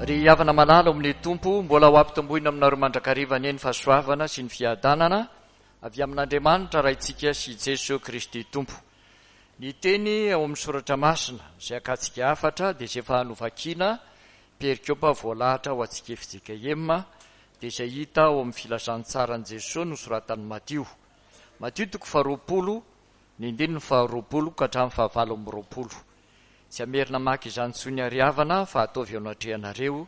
Ry havana malala ao amin'ny Tompo, mbola ho ampitomboina aminareo mandrakariva anie ny fahasoavana sy ny fiadanana avy amin'Andriamanitra Raintsika sy Jeso Kristy Tompo. Ny teny ao amin'ny Soratra Masina izay akantsika hafatra dia izay efa novakiana perikopa voalahatra ho antsika fjkm dia izay hita ao amin'ny Filazantsaran'i Jesoa nosoratan'i Matio. Matio toko faharoapolo, ny andininy faharoapolo ka hatramin'ny fahavalo amby roapolo. Tsy hamerina maka izany intsony àry havana fa ataovy eo anatrehanareo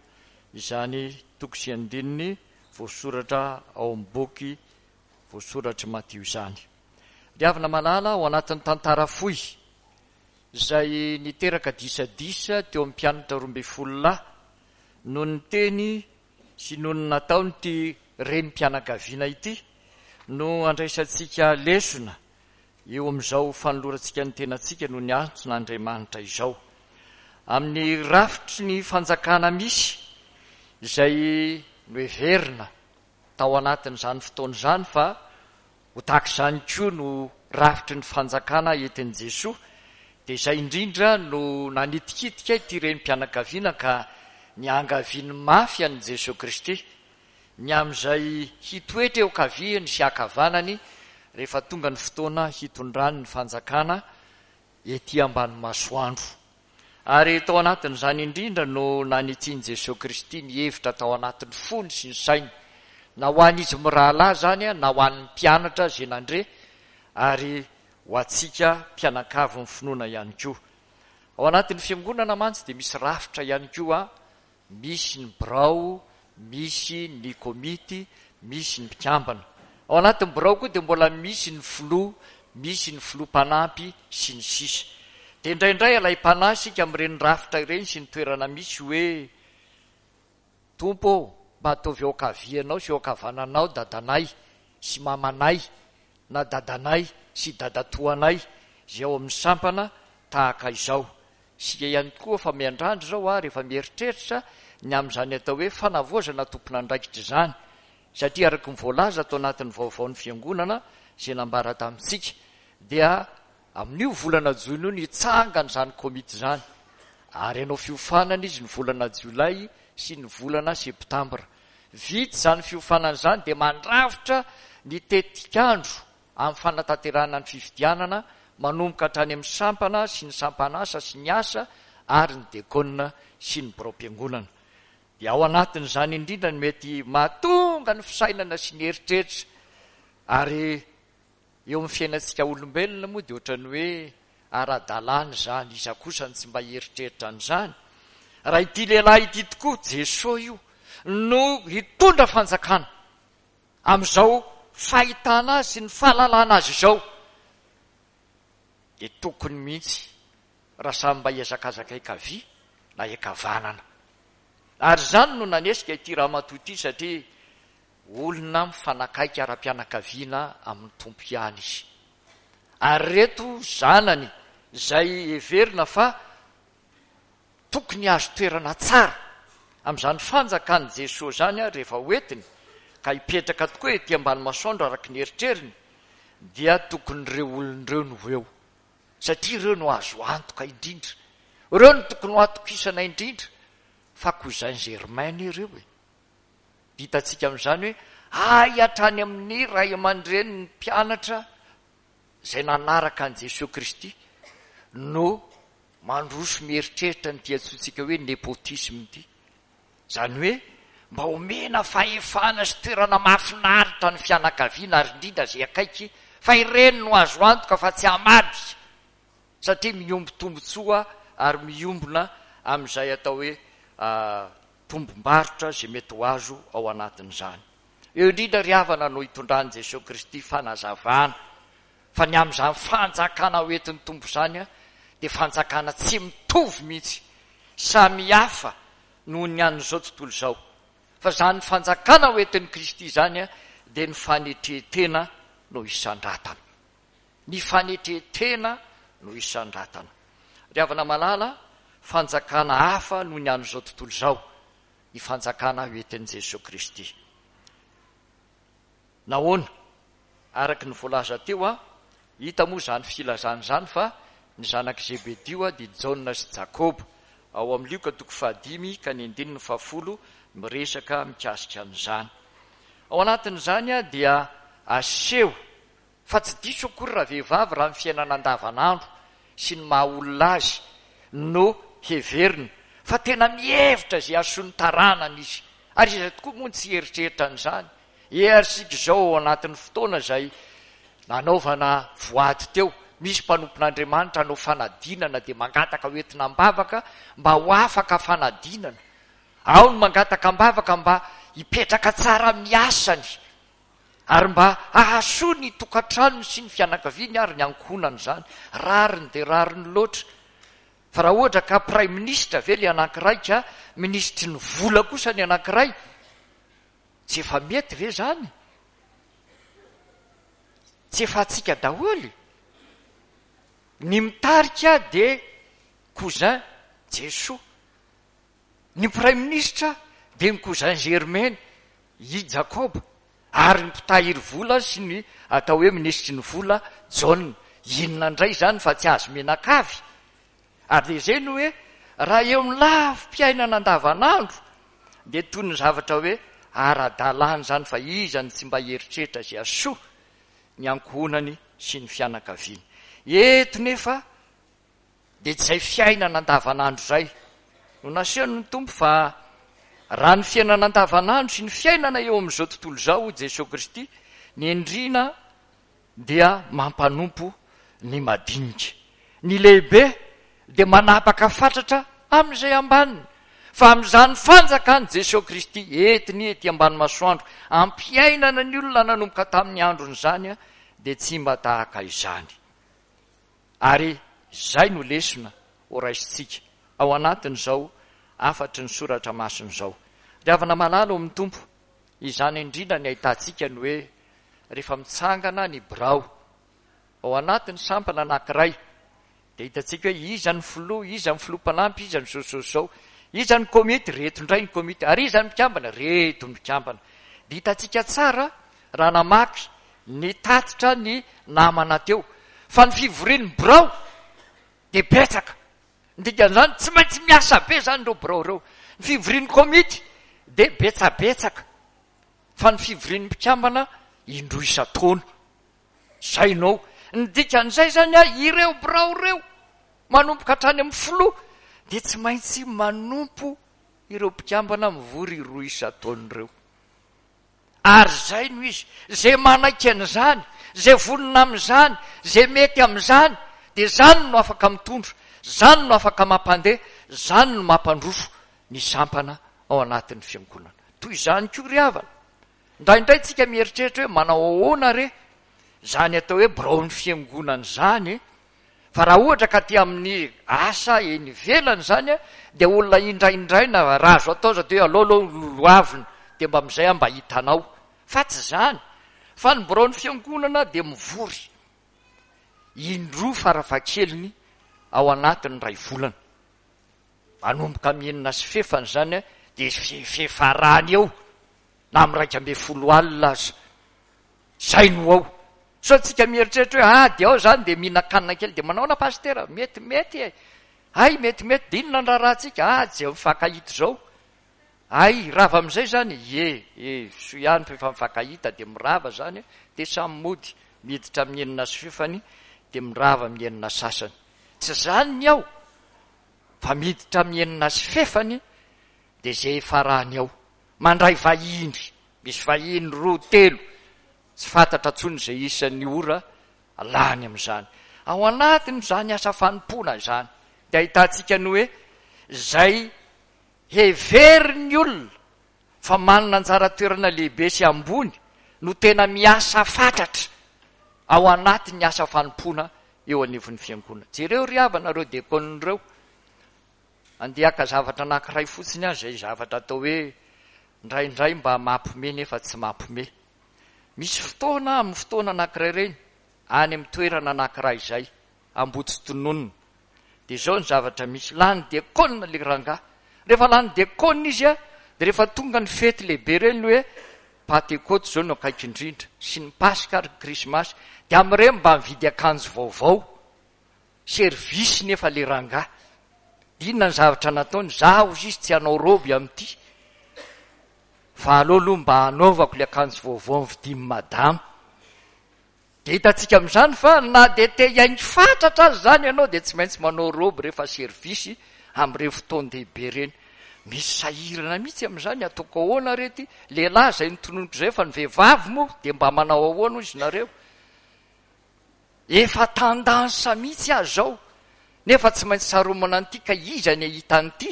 izany toko sy andininy voasoratra ao amin'ny boky voasoratr'i Matio izany. Ry havana malala, ao anatin'ny tantara fohy izay niteraka disadisa teo amin'ny mpianatra 12 lahy noho ny teny sy noho ny nataon'ity renim-pianakaviana ity no andraisantsika lesona eo amin'izao fanolorantsika ny tenantsika noho ny antson'Andriamanitra izao. Amin'ny rafitry ny fanjakana misy izay noheverina tao anatin'izany fotoana izany fa ho tahaka izany koa no rafitry ny fanjakana entin'i Jesoa, dia izay indrindra no nanitikitika ity renim-pianakaviana ka niangaviany mafy an'i Jesoa Kristy ny amin'izay hitoetra eo ankaviany sy ankavanany rehefa tonga ny fotoana hitondrany ny fanjakana ety ambany masoandro. Ary tao anatin'izany indrindra no nanitsian'i Jesoa Kristy ny hevitra tao anatin'ny fony sy ny sainy, na ho an'izy mirahalahy izany na ho an'ny mpianatra izay nandre ary ho antsika mpianakavin'ny finoana ihany koa. Ao anatin'ny fiangonana mantsy dia misy rafitra ihany koa Misy ny birao, misy ny komity, misy ny mpikambana. Ao anatin'ny birao koa dia mbola misy ny filoha, misy ny filoha mpanampy, sy ny sisa. Dia indraindray alaim-panahy isika amin'ireny rafitra ireny sy ny toerana misy hoe, Tompo ô, mba ataovy eo ankavianao sy eo ankavananao dadanay sy mamanay na dadanay sy dadatoanay izay ao amin'ny sampana tahaka izao. Isika ihany koa fa miandrandra izao ary efa mieritreritra ny amin'izany atao hoe fanavaozana tompon'andraikitra izany satria araka ny voalaza ato anatin'ny vaovaon'ny fiangonana izay nambara tamintsika dia amin'io volana jona io no hitsangana izany komity izany ary hanao fiofanana izy ny volana jolay sy ny volana septambra. Vita izany fiofanana izany dia mandrafitra ny tetikandro amin'ny fanatanterahana ny fifidianana manomboka hatrany amin'ny sampana sy ny sampan'asa sy ny asa ary ny dekona sy ny biraom-piangonana. Dia ao anatin'izany indrindra no mety mahatonga ny fisainana sy ny eritreritra ary eo amin'ny fiainantsika olombelona moa dia ohatran'ny hoe ara-dalàna izany, iza kosa no tsy mba hieritreritra an'izany? Raha ity lehilahy ity tokoa, Jesoa io, no hitondra fanjakana, Amin'izao fahitana azy sy ny fahalalana azy izao dia tokony mihitsy raha samy mba hihazakazaka ankavia na ankavanana. Ary izany no nanesika ity ramatoa ity satria olona mifanakaiky ara-pianakaviana amin'ny Tompo ihany izy. Ary ireto zanany izay heverina fa Tokony hahazo toerana tsara amin'izany fanjakan'i Jesoa izany ary rehefa hoentiny ka hipetraka tokoa ety ambany masoandro araka ny eritreriny dia tokony ireo olona ireo no ho eo satria ireo no azo antoka indrindra, ireo no tokony ho atokisana indrindra fa cousin germain anie ireo e! Hitantsika amin'izany hoe hay hatrany amin'ny ray aman-drenin'ny mpianatra izay nanaraka an'i Jesoa Kristy no Mandroso mieritreritra an'ity antsointsika hoe nepotisme ity. Izany hoe mba omena fahefana sy toerana mahafinaritra ny fianakaviana ary indrindra izay akaiky fa ireny no azo antoka fa tsy hamadika satria mihombo tombotsoa ary miombona amin'izay atao hoe tombom-barotra izay mety ho azo ao anatin'izany. Eo indrindra ry havana no itondran'i Jesoa Kristy fanazavana Fa ny amin'izany fanjakana ho entin'ny Tompo izany dia fanjakana tsy mitovy mihitsy, samy hafa noho ny an'izao tontolo izao. Fa izany fanjakana ho entin'i Kristy izany dia ny fanetren-tena no isandratana. Ny fanetren-tena no isandratana. Ry havana malala, fanjakana hafa noho ny an'izao tontolo izao ny fanjakana ho entin'i Jesoa Kristy. Nahoana? Araka ny voalaza teo, hita moa izany filazana izany fa ny zanak'i Zebedio dia Jaona sy Jakoba. ao amin'ny Lioka toko fahadimy ka ny andininy fahafolo miresaka mikasika an'izany. Ao anatin'izany dia aseho fa tsy diso akory ravehivavy raha ny fiainana andavanandro sy ny maha olona azy no heverina fa tena mihevitra izay hahasoa ny taranany izy. Ary iza tokoa moa no tsy hieritreritra an'izany? E ary isika izao ao anatin'ny fotoana izay nanaovana voady teo, misy mpanompon'Andriamanitra hanao fanadinana dia mangataka ho entina am-bavaka mba ho afaka fanadinana. Ao ny mangataka am-bavaka mba hipetraka tsara amin'ny asany ary mba hahasoa ny tokantranony sy ny fianakaviany ary ny ankohonany izany. Rariny dia rariny loatra. Fa raha ohatra ka praiminisitra ve ilay anankiray ka minisitry ny vola kosa ny anankiray, Tsy efa mety ve zany? Tsy efa antsika daholo? Ny mitarika dia cousin Jesoa. Ny praiminisitra dia ny cousin Germaine, i Jakoba. Ary ny mpitahiry vola sy ny atao hoe minisitry ny vola, Jaona. Inona indray izany fa tsy azo mianakavy? Ary dia izay no hoe raha eo amin'ny lafim-piainana andavanandro dia toy ny zavatra hoe ara-dalàna izany fa iza no tsy mba hieritreritra izay hahasoa ny ankohonany sy ny fianakaviany. Eto nefa dia tsy izay fiainana andavanandro izay no nasehon'ny Tompo fa raha ny fiainana andavanandro sy ny fiainana eo amin'izao tontolo izao hoy Jesoa Kristy ny endrina dia mampanompo ny madinika. Ny lehibe dia manapaka fatratra amin'izay ambaniny. Fa amin'izany fanjakan'i Jesoa Kristy entiny ety ambany masoandro ampiainana ny olona nanomboka tamin'ny androny izany dia tsy mba tahaka izany. Ary izay no lesona ho raisintsika ao anatin'izao hafatry ny soratra masina izao. Ry havana malala ao amin'ny Tompo, izany indrindra ny ahitantsika ny hoe rehefa mitsangana ny birao ao anatin'ny sampana anankiray dia hitantsika hoe iza ny filoha, iza ny filoha mpanampy, iza ny zao zao zao, iza ny komity, reto indray ny komity, ary iza ny mpikambana, reto ny mpikambana. Dia hitantsika tsara raha namaky ny tatitra ny namana teo fa ny fivorian'ny birao dia betsaka. Ny dikan'izany tsy maintsy miasa be izany ireo birao ireo. Ny fivorian'ny komity dia betsabetsaka. Fa ny fivorian'ny mpikambana indroa isan-taona. Izay no ao. Ny dikan'izay izany an, ireo birao ireo, manomboka hatrany amin'ny filoha, dia tsy maintsy manompo ireo mpikambana mivory roa isan-taona ireo. Ary izay no izy. Izay manaiky an'izany, izay vonona amin'izany, izay mety amin'izany, dia izany no afaka mitondra, izany no afaka mampandeha, izany no mampandroso ny sampana ao anatin'ny fiangonana. Toy izany koa ry havana, indraindray tsika mieritreritra hoe manao ahoana re izany atao hoe biraon'ny fiangonana izany e? Fa raha ohatra ka aty amin'ny asa eny ivelany izany dia olona indraindraina raha azo atao aza dia hoe aleo aloha lolohavina dia mba amin'izay aho mba hitanao. Fa tsy izany, fa ny biraon'ny fiangonana dia mivory indroa farafahakeliny ao anatin'ny iray volana. Manomboka amin'ny enina sy fefany izany dia fefarany eo na amin'ny 11 alina aza. Izay no ao. Sao tsika mieritreritra hoe ah dia ao izany dia mihinan-kanina kely dia manaona pasitera? Metimety e! Hay metimety dia inona ny raharahantsika? Ah tsy izay mifankahita izao. Hay rava amin'izay izany? Ie, e, soa ihany fa efa mifankahita dia mirava izany dia samy mody miditra amin'ny enina sy fefany dia mirava amin'ny enina sasany. Tsy izany ny ao fa miditra amin'ny enina sy fefany dia izay hifarany ao. Mandray vahiny, misy vahiny roa, telo, tsy fantatra intsony izay isan'ny ora lany amin'izany. Ao anatin'izany asa fanompoana izany dia ahitantsika ny hoe izay heverin'ny olona fa manana anjara toerana lehibe sy ambony no tena miasa fatratra ao anatin'ny asa fanompoana eo anivon'ny fiangonana. Jereo ry havana ireo diakona ireo. Andeha haka zavatra anankiray fotsiny aho izay zavatra atao hoe indraindray mba mampime nefa tsy mampime. Misy fotoana amin'ny fotoana anankiray ireny, any amin'ny toerana anankiray izay, Ambohitsitononina. Dia izao ny zavatra misy, lany diakona ilay rangahy. Rehefa lany diakona izy dia rehefa tonga ny fety lehibe ireny hoe Pantekoty izao no akaiky indrindra, sy ny Paska ary ny Krismasy, dia amin'ireny mba mividy akanjo vaovao, service nefa ilay rangahy. Dia inona ny zavatra nataony? Za hozy izy tsy hanao robe amin'ity fa aleo aloha mba hanaovako ilay akanjo vaovao novidian'i madama. Dia hitantsika amin'izany fa na dia te hihaingo fatratra aza izany ianao dia tsy maintsy manao robe rehefa service amin'ireny fotoan-dehibe ireny. Misy sahirana mihitsy amin'izany, ataoko ahoana re ity? Lehilahy izay notononiko izay fa ny vehivavy moa dia mba manao ahoana hoy izy nareo? Efa tendance mihitsy aza izao nefa tsy maintsy saromana an'ity ka iza ny hahita an'ity?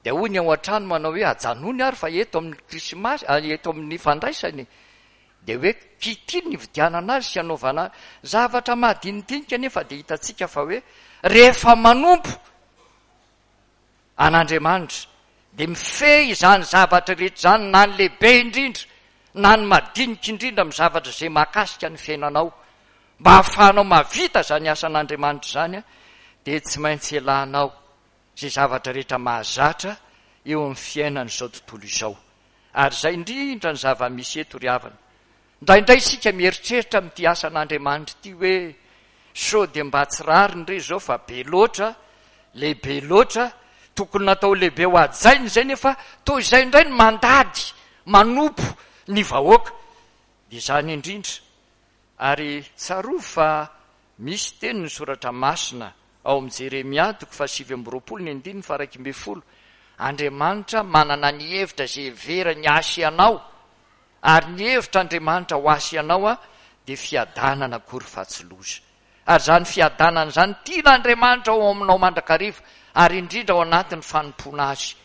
Dia hoy ny ao an-trano manao hoe ajanony ary fa eto amin'ny krismasy, eto amin'ny fandraisana e! Dia hoe kity ny nividianana azy sy anaovana azy. Zavatra mahadinidinika anefa dia hitantsika fa hoe rehefa manompo an'Andriamanitra dia mifehy izany zavatra rehetra izany na ny lehibe indrindra na ny madinika indrindra amin'ny zavatra izay mahakasika ny fiainanao. Mba hahafahanao mahavita izany asan'Andriamanitra izany dia tsy maintsy elanao izay zavatra rehetra mahazatra eo amin'ny fiainan'izao tontolo izao. Ary izay indrindra ny zava-misy eto ry havana. Indraindray isika mieritreritra amin'ity asan'Andriamanitra ity hoe, sao dia mba tsy rariny re izao fa be loatra, lehibe loatra, tokony natao lehibe ho hajaina izay nefa toa izay indray no mandady manompo ny vahoaka. Dia izany indrindra. Ary tsarovy fa misy teny ny Soratra Masina ao amin'ny Jeremia toko faha-29 ny andininy faha-11, Andriamanitra manana ny hevitra izay heverany ahy sy ianao, ary ny hevitr'Andriamanitra ho ahy sy ianao dia fiadanana akory fa tsy loza. Ary izany fiadanana izany tian'Andriamanitra ao aminao mandrakariva, ary indrindra ao anatin'ny fanompoana Azy.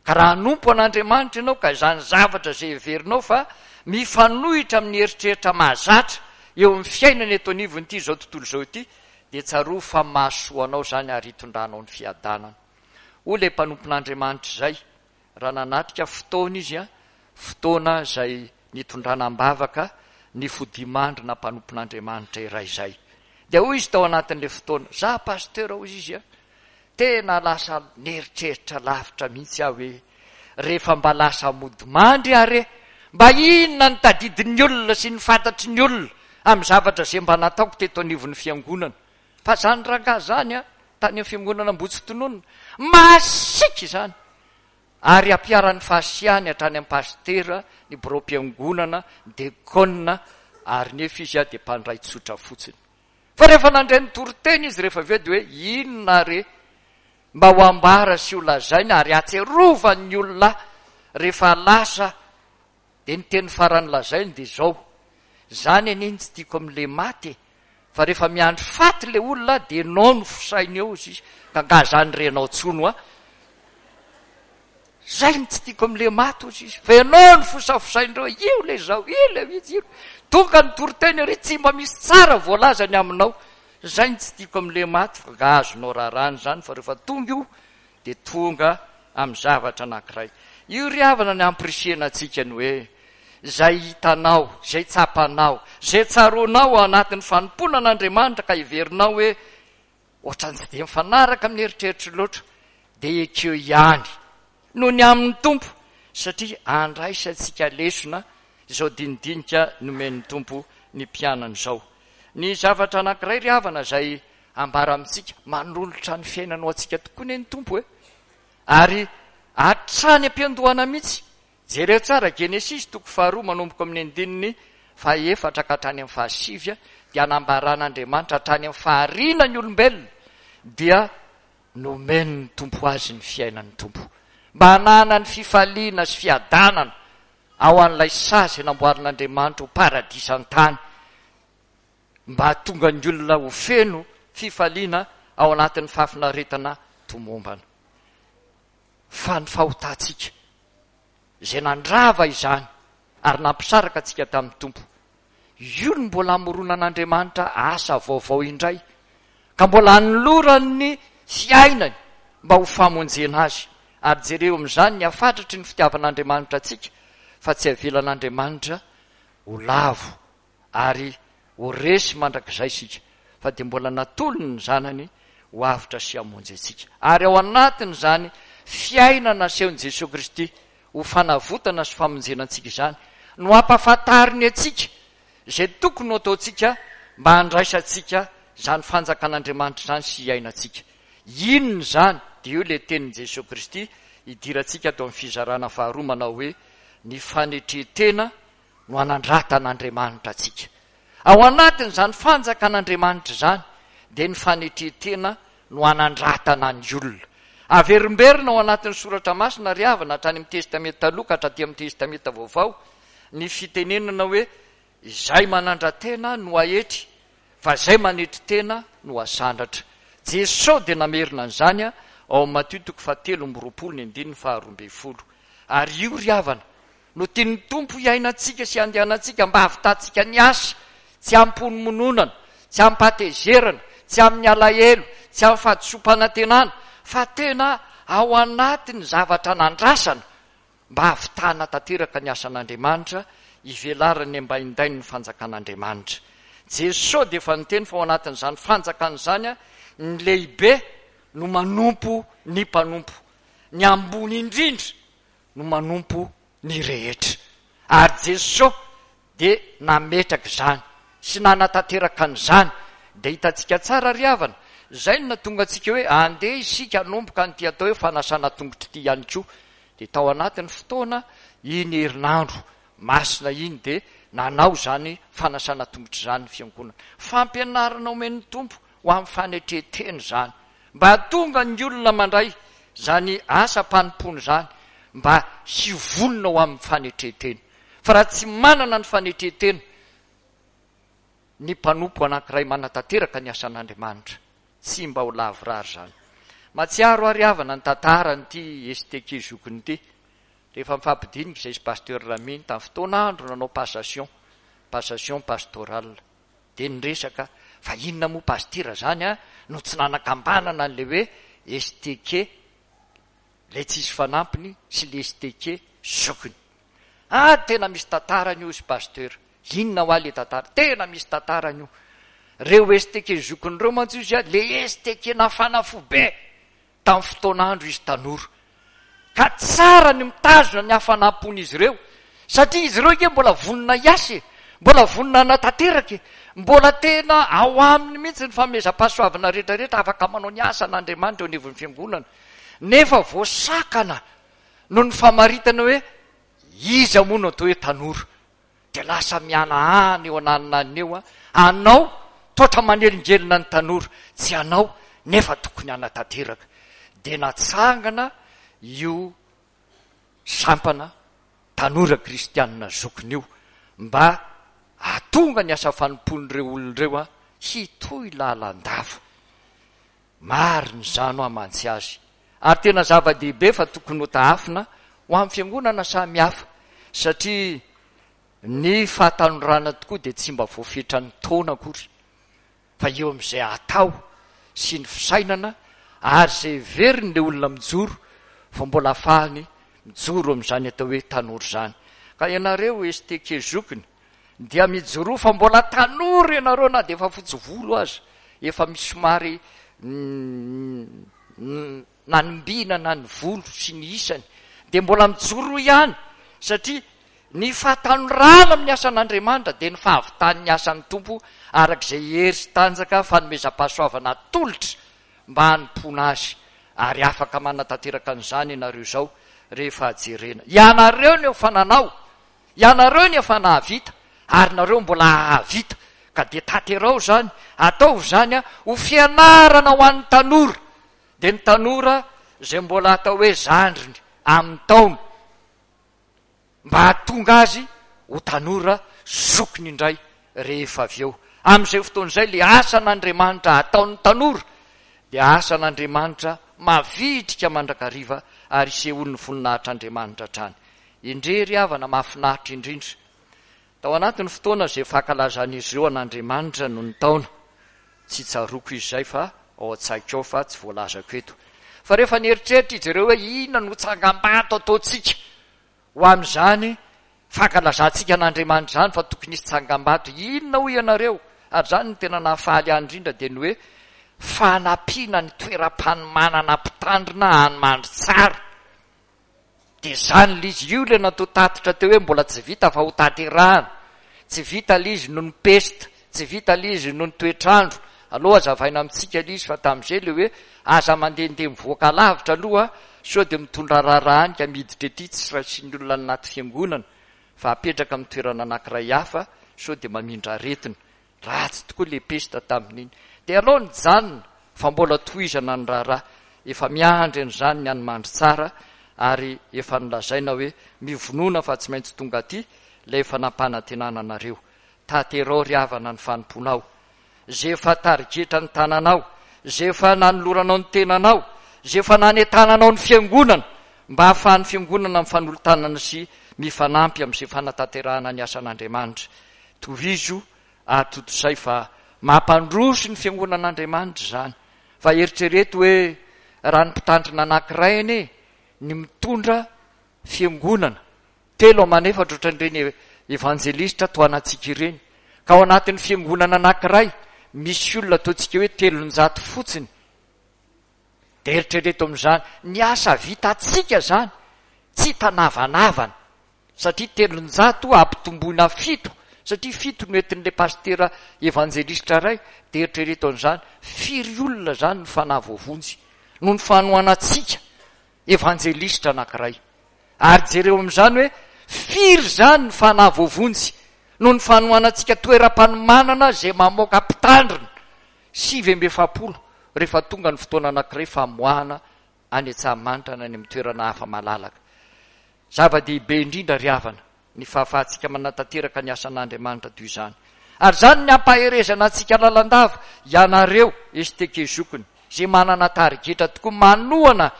Ka raha hanompo an'Andriamanitra ianao ka izany zavatra izay heverinao fa mifanohitra amin'ny eritreritra mahazatra eo amin'ny fiainana eto anivon'ity izao tontolo izao ity dia tsarovy fa mahasoa anao izany ary hitondranao ny fiadanana. Hoy ilay mpanompon'Andriamanitra izay raha nanatrika fotoana izy, fotoana izay nitondrana am-bavaka ny fodimandrina mpanompon'Andriamanitra iray izay. Dia hoy izy tao anatin'ilay fotoana, Za pasteur hoy izy, Tena lasa nieritreritra lavitra mihitsy aho hoe rehefa mba lasa mody mandry aho re, mba inona ny tadidin'ny olona sy ny fantatry ny olona amin'ny zavatra izay mba nataoko teto anivon'ny fiangonana. Fa izany rangahy izany an, tany amin'ny fiangonana Ambohitsitononina, masiaka izany! Ary ampiharan'ny fahasiahany hatrany amin'ny pasitera, ny biraom-piangonana, ny dekona, ary nefa izy dia mpandray tsotra fotsiny. Fa rehefa nandre ny toriteny izy rehefa avy eo dia hoe inona re mba ho ambara sy ho lazaina ary hatsiarovan'ny olona rehefa lasa dia ny teny farany lazainy dia izao, izany anie ny tsy tiako amin'ilay maty e, fa rehefa miandry faty ilay olona dia enao no fosainy eo izy ka angaha izany renao tsony hoa. Zay no tsy tiako amle maty ozy izy fa ianao no fosafosaindreo io le zao io le izy io tonga ny toriteny ary tsy mba misy tsara voalaza ny aminao zay no tsy tiako amle maty fa nga azonao rarahana izany fa rehefa tonga io dia tonga amin'ny zavatra anankiray io ry havana ny ampirisihana antsika ny hoe izay hitanao izay tsapanao izay tsaroanao ao anatin'ny fanompoana an'Andriamanitra ka heverinao hoe Ohatran'ny tsy dia mifanaraka amin'ny eritreritro loatra, dia ekeo ihany noho ny amin'ny Tompo, satria andraisantsika lesona izao dinidinika nomen'ny Tompo ny mpianany izao. Ny zavatra anankiray ry havana izay ambara amintsika, manolotra ny fiainana ho antsika tokoa anie ny Tompo e! Ary hatrany am-piandohana mihitsy Jereo tsara Genesisy toko faharoa manomboka amin'ny andininy fahaefatra ka hatrany amin'ny fahasivy dia anambaran'Andriamanitra hatrany amin'ny fahariana ny olombelona dia nomen'ny Tompo azy ny fiainan'ny Tompo mba hananany fifaliana sy fiadanana ao an'ilay saha izay namboarin'Andriamanitra ho paradisa an-tany mba hahatonga ny olona ho feno fifaliana ao anatin'ny fahafinaretana tomombana. Fa ny fahotantsika, izay nandrava izany ary nampisaraka antsika tamin'ny Tompo, io no mbola hamoronan'Andriamanitra asa vaovao indray, ka mbola hanolorany ny fiainany mba ho famonjena azy. Ary jereo amin'izany ny hafatratry ny fitiavan'Andriamanitra antsika, fa tsy avelan'Andriamanitra ho lavo ary ho resy mandrakizay isika, fa dia mbola natolony ny Zanany ho avotra sy hamonjy antsika. Ary ao anatin'izany fiainana asehon'i Jesoa Kristy ho fanavotana sy famonjena antsika izany no ampahafantariny antsika izay tokony ho ataontsika mba handraisantsika izany fanjakan'Andriamanitra izany sy hiainantsika. Inona izany? Dia io ilay tenin'i Jesoa Kristy idirantsika ato amin'ny fizarana faharoa manao hoe, Ny fanetren-tena no anandratan'Andriamanitra antsika. Ao anatin'izany fanjakan'Andriamanitra izany dia ny fanetren-tena no anandratana ny olona. Averimberina ao anatin'ny Soratra Masina ry havana hatrany amin'ny Testamenta Taloha ka hatraty amin'ny Testamenta Vaovao ny fitenenana hoe izay manandra-tena no aetry fa izay manetry tena no asandratra. Jesosy dia namerina an'izany ao amin'ny Matio toko fahatelo amby roapolo ny andininy faharoambinifolo. Ary io ry havana no tian'ny Tompo hiainantsika sy handehanantsika mba hahavitantsika ny asa, tsy amim-ponomononana, tsy amim-pahatezerana, tsy amin'ny alahelo, tsy amin'ny fahadisoam-panantenana, fa tena ao anatin'ny zavatra nandrasana mba hahavitana tanteraka ny asan'Andriamanitra, hivelaran'ny ambaindain'ny fanjakan'Andriamanitra. Jesoa dia efa niteny fa ao anatin'izany fanjakana izany ny lehibe no manompo ny mpanompo, ny ambony indrindra no manompo ny rehetra. Ary Jesoa dia nametraka izany sy nanatanteraka an'izany. Dia hitantsika tsara ry havana, izay no nahatonga antsika hoe andeha isika hanomboka an'ity atao hoe fanasana tongotra ity ihany koa. Dia tao anatin'ny fotoana iny herinandro masina iny dia nanao izany fanasana tongotra izany ny fiangonana. Fampianarana omen'ny Tompo ho amin'ny fanetren-tena izany. Mba hahatonga ny olona mandray izany asam-panompoana izany mba hivonona ho amin'ny fanetren-tena. Fa raha tsy manana ny fanetren-tena ny mpanompo anankiray manatanteraka ny asan'Andriamanitra, tsy mba ho lavorary izany. Mahatsiaro aho ry havana ny tantaran'ity STK zokiny ity, rehefa nifampidinika izay sy Pasteur Ramino tamin'ny fotoan'andro nanao passation, passation pastorale. Dia niresaka fa inona moa pasitera zany a no tsy nanakambanana an'ilay hoe STK ilay tsisy fanampiny sy le STK zokiny. Ah tena misy tantarany io ry pasteur. Inona hoa le tantara? Tena misy tantarany io. Reo STK zokiny reo mantsy ozy a le STK nafana fo be. tamin'ny fotoan'andro izy tanora. Ka tsara ny mitazona ny hafanam-pon'izy ireo, satria izy ireo ange mbola vonona hiasa e, mbola vonona hanatanteraka e, mbola tena ao aminy mihitsy ny fanomezam-pahasoavana rehetrarehetra afaka manao ny asan'Andriamanitra eo anivon'ny fiangonana, nefa voasakana noho ny famaritana hoe iza moa no atao hoe tanora. Dia lasa mihanahana eo ananonanona eo anao toatra manelingelina ny tanora, tsy anao nefa tokony hanatanteraka. Dia natsangana io sampana tanora kristianina zokiny io mba hahatonga ny asa fanompoan'ireo olona ireo hitohy lalandava. Marina izany hoa mantsy azy. Ary tena zava-dehibe fa tokony ho tahafina ho amin'ny fiangonana samy hafa satria ny fahatanorana tokoa dia tsy mba voafetran'ny taona akory fa eo amin'izay atao sy ny fisainana ary izay heverin'ilay olona mijoro fa mbola afahany mijoro amin'izany atao hoe tanora izany. Ka ianareo STK zokiny Dia mijoroa fa mbola tanora ianareo na dia efa fotsy volo aza, efa misy somary nanimbinana ny volo sy ny isany, dia mbola mijoroa ihany satria ny fahatanorana amin'ny asan'Andriamanitra dia ny fahavitan'ny asan'ny Tompo araka izay hery sy tanjaka fanomezam-pahasoavana atolotra mba hanompoana Azy, ary afaka manatanteraka an'izany ianareo izao rehefa jerena. Ianareo no efa nanao Ianareo ny efa nahavita ary nareo mbola hahavita ka dia tanterao izany, ataovy izany ho fianarana ho an'ny tanora, dia ny tanora izay mbola atao hoe zandriny amin'ny taona mba hahatonga azy ho tanora zokiny indray rehefa avy eo. Amin'izay fotoana izay ilay asan'Andriamanitra ataon'ny tanora dia asan'Andriamanitra mavitrika mandrakariva ary isehoan'ny voninahitr'Andriamanitra hatrany. Endrey ry havana mahafinaritra indrindra! Tao anatin'ny fotoana izay fankalazan'izy ireo an'Andriamanitra no nitaona. Tsy tsaroako izy izay fa ao an-tsaiko ao fa tsy voalazako eto. Fa rehefa nieritreritra izy ireo hoe inona no tsangambato ataontsika ho amin'izany fankalazantsika an'Andriamanitra izany fa tokony hisy tsangambato inona hoy ianareo? Ary izany no tena nahafaly ahy indrindra dia ny hoe fanampiana ny toeram-panomanana mpitandrina any Mandritsara. Dia izany ilay izy, io ilay natao tatitra teo hoe mbola tsy vita fa ho tanterahana. Tsy vita ilay izy noho ny pesta, tsy vita ilay izy noho ny toetr'andro. Aleo hazavaina amintsika ilay izy fa tamin'izay ilay hoe aza mandehandeha mivoaka lavitra aloha sao dia mitondra raharaha any ka miditra ety tsy raisin'ny olona any anaty fiangonana fa apetraka amin'ny toerana anankiray hafa sao dia mamindra aretina. Ratsy tokoa ilay pesta tamin'iny. Dia aleo nijanona fa mbola tohizana ny raharaha. Efa miandry an'izany ny any Mandritsara ary efa nolazaina hoe mivonona fa tsy maintsy tonga aty ilay efa nampanantenana anareo. Taterao ry havana ny fanompoanao. Izay efa tarigetra ny tananao, izay efa nanoloranao ny tenanao, izay efa nanentananao ny fiangonana mba hahafahan'ny fiangonana mifanolo-tanana sy mifanampy amin'izay fanatanterahana ny asan'Andriamanitra. Tohizo ary tontosay fa mampandroso ny fiangonan'Andriamanitra izany. Fa eritrereto hoe raha ny mpitandrina anankiray anie ny mitondra fiangonana telo aman'efatra ohatran'ireny evanjelistra tohanantsika ireny, ka ao anatin'ny fiangonana anankiray misy olona ataontsika hoe 300 fotsiny, dia eritrereto amin'izany ny asa vitantsika izany tsy hitanavanavana. Satria 300 ampitomboina fito, satria fito no entin'ilay pasitera evanjelistra iray, dia eritrereto an'izany, firy olona izany ny fanahy voavonjy noho ny fanohanantsika evanjelistra anankiray. Ary jereo amin'izany hoe firy izany ny fanahy voavonjy noho ny fanohanantsika toeram-panomanana izay mamoaka mpitandrina 49 rehefa tonga ny fotoana anankiray famoahana any Antsahamanitra na any amin'ny toerana hafa malalaka. Zava-dehibe indrindra ry havana ny fahafahantsika manatanteraka ny asan'Andriamanitra toy izany. Ary izany ny hampaherezana antsika lalandava, ianareo STK zokiny, izay manana tarigetra tokoa manohana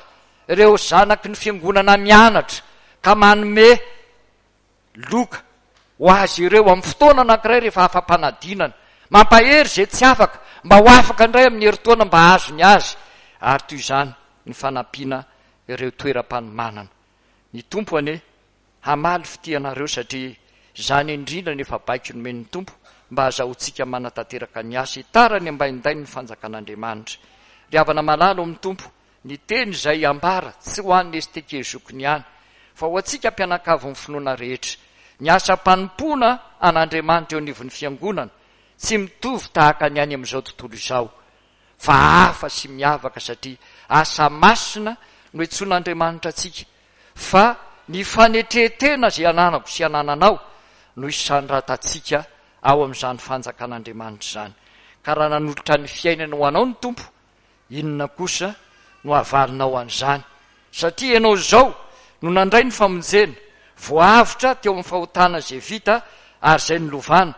ireo zanaky ny fiangonana mianatra ka manome loka ho azy ireo amin'ny fotoana anankiray rehefa afa-panadinana. Mampahery izay tsy afaka mba ho afaka indray amin'ny herintaona mba hahazo ny azy. Ary toy izany ny fanampiana ireo toeram-panomanana. Ny Tompo anie hamaly fitia anareo satria izany indrindra no efa baiko nomen'ny Tompo mba hazahoantsika manatanteraka ny asa hitarany ambaindainy ny fanjakan'Andriamanitra. Ry havana malala ao amin'ny Tompo, ny teny izay ambara tsy ho an'ny STK zokiny ihany fa ho antsika mpianakavin'ny finoana rehetra. Ny asam-panompoana an'Andriamanitra eo anivon'ny Fiangonana tsy mitovy tahaka ny any amin'izao tontolo izao. fa hafa sy miavaka satria asa masina no iantsoan'Andriamanitra antsika fa ny fanetren-tena izay ananako sy anananao no isandratantsika ao amin'izany fanjakan'Andriamanitra izany. Ka raha nanolotra ny fiainany ho anao ny Tompo, inona kosa no havalinao an'izany? Satria ianao izao no nandray ny famonjena, voaavotra teo amin'ny fahotana izay vita ary izay nolovana,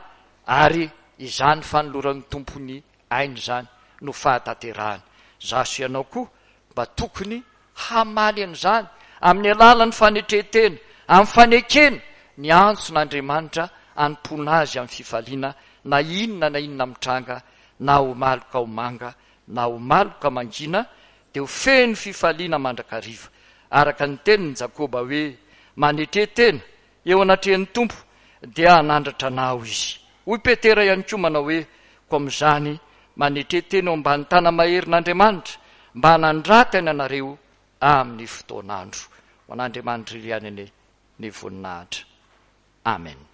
ary izany fanoloran'ny Tompo ny aina izany no fahatanterahany. Izaho sy ianao koa mba tokony hamaly an'izany amin'ny alalan'ny fanetren-tena, amin'ny fanekena ny antson'Andriamanitra hanompoana Azy amin'ny fifaliana na inona na inona mitranga, na ho maloka ho manga, na ho maloka mangina, dia ho feno fifaliana mandrakariva. Araka ny tenin'i Jakoba hoe, Manetre tena Eo anatrehan'ny Tompo dia hanandratra anao Izy. Hoy Petera ihany koa manao hoe, Koa amin'izany, manetre tena eo ambany tana-maherin'Andriamanitra, mba hanandratany anareo amin'ny fotoan'andro. Ho an'Andriamanitra irery ihany anie ny voninahitra. Amen.